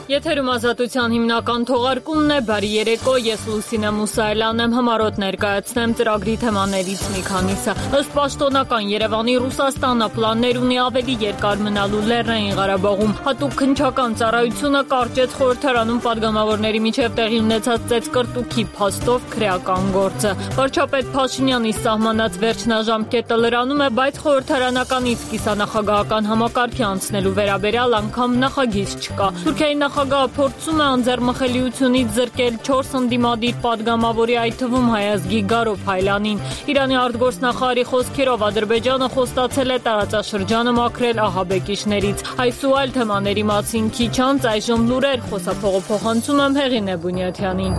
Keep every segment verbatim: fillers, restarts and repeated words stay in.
Եթերում Ազատության հիմնական թողարկումն է, բարի երեկո, ես Լուսինե Մուսայելյանն եմ, հմարոտ ներկայացնեմ ծրագրի թեմաներից մի քանիսը։ Ըստ պաշտոնական Երևանի Ռուսաստանը պլաններ ունի ավելի երկար մնալու Լեռնային Ղարաբաղում։ Հատուկ քննչական ծառայությունը կարճեց խորհրդարանում падգամավորների միջև տեղի ունեցած ծեծկռտուքի փաստով քրեական գործը։ Վարչապետ Փաշինյանի սահմանած վերջնաժամկետը լրանում է, բայց խորհրդարանականից կիսանախագահական համակարգի անցնելու վերաբերյալ անգամ նախագիծ չկա։ Թուրքիայի նախագահը փորձում է անձեռմխելիությունից զրկել չորս ընդդիմադիր падգամավորի, այդ թվում հայազգի Գարո Փայլյանին։ Իրանի արտգործնախարարի խոսքերով Ադրբեջանը խոստացել է տարածաշրջանը մաքրել ահաբեկիչներից։ Այս ու այլ թեմաների մասին քիչ անց այժմ լուրեր, խոսափողը փոխանցում եմ Հեղինե Բունյաթյանին։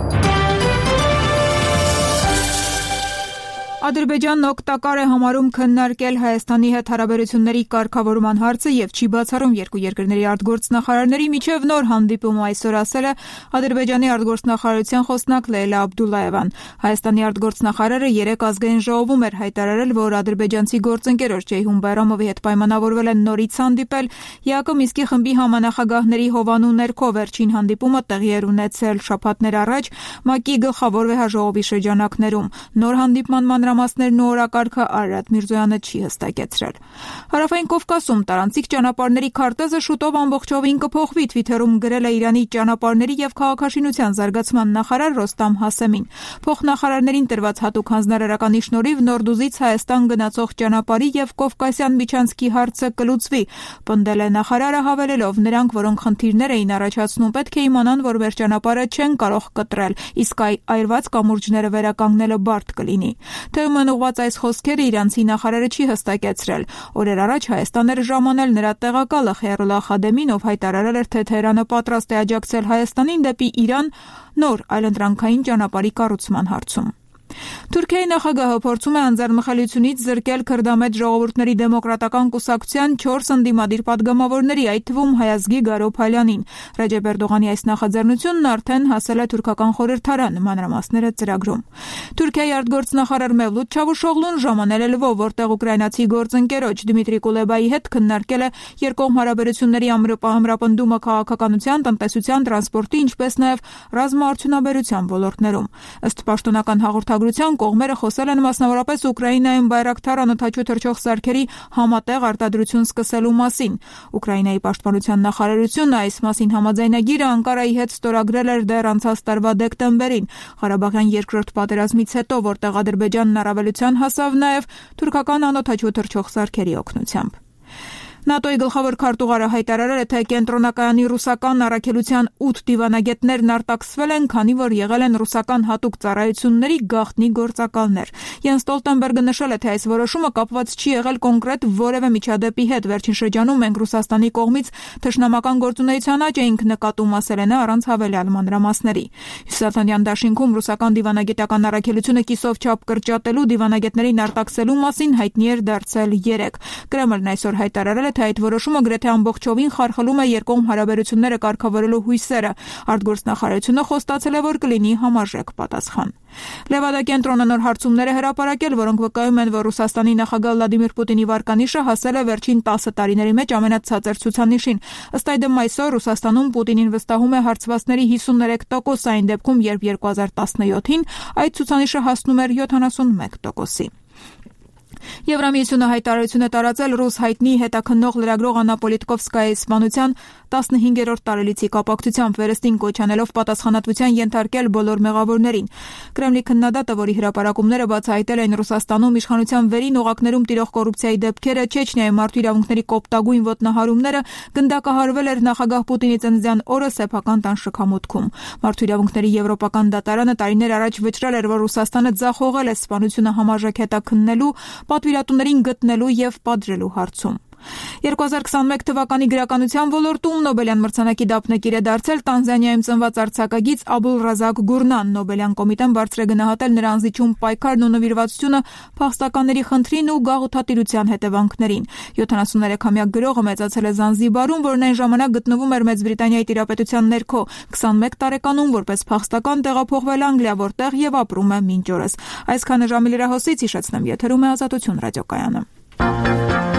Ադրբեջանն օգտակար է համարում քննարկել Հայաստանի հետ հարաբերությունների կարգավորման հարցը եւ չի բացառում երկու երկրների արտգործնախարարների միջև նոր հանդիպում, այսօր ասել է Ադրբեջանի արտգործնախարարության խոսնակ Լեյլա Աբդուլլաևան։ Հայաստանի արտգործնախարարը երեկ ազգային ժողովում էր հայտարարել, որ ադրբեջանցի գործընկերոջ Ջեյհուն Բայրամովի հետ պայմանավորվել են նորից հանդիպել։ ԵԱԿ Մինսկի խմբի համանախագահների հովանու ներքո վերջին հանդիպումը տեղի էր ունեցել շաբաթներ առաջ ՄԱԿ-ի գլխավոր վեհաժողովի շրջանակներում։ Նոր հանդիպման մանրամասներն ու օրակարգը Արարատ Միրզոյանը չի հստակեցրել։ Հարավային Կովկասում տարանցիկ ճանապարհների քարտեզը շուտով ամբողջովին կփոխվի, Թվիթերում գրել է Իրանի ճանապարհների եւ քաղաքաշինության զարգացման նախարար Ռոստամ Հասեմին։ Փոխնախարարներին տրված հատուկ հանձնարարականի շնորհիվ Նորդուզից Հայաստան գնացող ճանապարհի եւ Կովկասյան միջանցքի հարցը կլուծվի, պնդել է նախարարը, հավելելով, նրանք, որոնք խնդիրներ էին առաջացնում, պետք է իմանան, որ մեր ճանապարհը չեն կարող կտրել, իսկ այրված կամուրջները վերականգնելը բարդ կլինի։ Թեման ուղված այս խոսքերը իրանցի նախարարը չի հստակեցրել։ Օրեր առաջ Հայաստան էր ժամանել նրա տեղակալը Խեյրուլլա Խադեմին, ով հայտարարել էր, թե Թեհրանը պատրաստ է աջակցել Հայաստանին դեպի Իրան նոր այլընտրանքային ճանապարհի կառուցման հարցում։ Թուրքիայի նախագահը փորձում է անձեռնմխելիությունից զրկել քրդամետ ժողովուրդների դեմոկրատական կուսակցության չորս ընդդիմադիր падգամավորների, այդ թվում հայազգի Գարո Փայլյանին։ Ռեջեփ Էրդողանի այս նախաձեռնությունն արդեն հասել է թուրքական խորհրդարան, մանրամասները ծրագրում։ Թուրքիայի արտգործնախարար Մևլութ Չավուշօղլուն ժամանել է Լվով, որտեղ ուկրաինացի գործընկերոջ Դմիտրի Կուլեբայի հետ քննարկել է երկկողմ հարաբերությունների ամրապնդումը քաղաքականության, տնտեսության, տրանսպորտի, ինչպես նաև ռազմաարդյունաբերության ոլորտներում։ Ըստ պաշտոնական հաղորդագրության կողմերը խոսել են մասնավորապես Ուկրաինայում Բայրակթար անօդաչու թռչող սարքերի համատեղ արտադրություն սկսելու մասին։ Ուկրաինայի պաշտպանության նախարարությունը այս մասին համաձայնագիրը Անկարայի հետ ստորագրել էր դեռ անցած տարվա դեկտեմբերին, Ղարաբաղյան երկրորդ պատերազմից հետո, որտեղ Ադրբեջանն առավելության հասավ նաև թուրքական անօդաչու թռչող սարքերի օգնությամբ։ ՆԱՏՕ-ի գլխավոր քարտուղարը հայտարարել է, թե կենտրոնակայանի ռուսական առաքելության ութ դիվանագետներն արտաքսվել են, քանի որ եղել են ռուսական հատուկ ծառայությունների գաղտնի գործակալներ։ Յենս Ստոլտենբերգը նշել է, թե այս որոշումը կապված չի եղել կոնկրետ որևէ միջադեպի հետ։ Վերջին շրջանում մենք Ռուսաստանի կողմից թշնամական գործունեության աճ էինք նկատում, ասել է նա առանց հավելյալ մանրամասների։ Հյուսիսատլանտյան դաշինքում ռուսական դիվանագիտական առաքելությունը կիսով չափ կրճատելու դիվանագետներին արտաքսելու մասին հայտնի էր դարձել երեկ։ Կրեմլն այսօր հայտարարել թե այդ որոշումը գրեթե ամբողջովին խարխլում է երկկողմ հարաբերությունները կարգավորելու հույսերը։ Արտգործնախարարությունը խոստացել է, որ կլինի համարժեք պատասխան։ Լևադա կենտրոնը նոր հարցումներ է հրապարակել, որոնք վկայում են, որ Ռուսաստանի նախագահ Վլադիմիր Պուտինի վարկանիշը հասել է վերջին տասը տարիների մեջ ամենացածր ցուցանիշին։ Ըստ այդմ այսօր Ռուսաստանում Պուտինին վստահում է հարցվածների հիսուններեք տոկոս, այն դեպքում, երբ երկու հազար տասնյոթին այդ ցուցանիշը հասնում էր յոթանասունմեկ տոկոսի։ Եվրամիությունը հայտարարություն է տարածել ռուս հայտնի հետաքննող լրագրող Աննա Պոլիտկովսկայայի սպանության տասնհինգերորդ տարելիցի կապակցությամբ վերստին կոչ անելով պատասխանատվության ենթարկել բոլոր մեղավորներին։ Կրեմլի քննադատը, որի հրապարակումները բացահայտել են Ռուսաստանում իշխանության վերին օղակներում տիրող կոռուպցիայի դեպքերը, Չեչնիայի մարդու իրավունքների կոպտագույն ոտնահարումները, գնդակահարվել էր նախագահ Պուտինի ծննդյան օրը սեփական տան շքամուտքում։ Մարդու իրավունքների եվրոպական դատարանը տարիներ առաջ վճռել էր, որ Ռուսաստանը ձախողել է սպանությունը համաժեք հետաքննելու, պատվիրատուներին գտնելու եւ պատժելու հարցում։ երկու հազար քսանմեկ թվականի գրականության ոլորտում Նոբելյան մրցանակի դափնեկիր է դարձել Տանզանիայում ծնված արձակագիծ Աբուլ Ռազակ Գուրնան։ Նոբելյան կոմիտեն բարձր է գնահատել նրա անզիջում պայքարն ու նվիրվածությունը փախստականների խնդրին ու գաղութատիրության հետևանքներին։ յոթանասուններեքամյա գրողը մեծացել է Զանզիբարում, որն այն ժամանակ գտնվում էր Մեծ Բրիտանիայի տիրապետության ներքո։ քսանմեկ տարեկանում որպես փախստական տեղափոխվել Անգլիա, որտեղ եւ ապրում է մինչ օրս։ Այսքանը ժամի լրահոսից հիշեցնեմ, եթերում է Ազատություն ռադիոկայանը։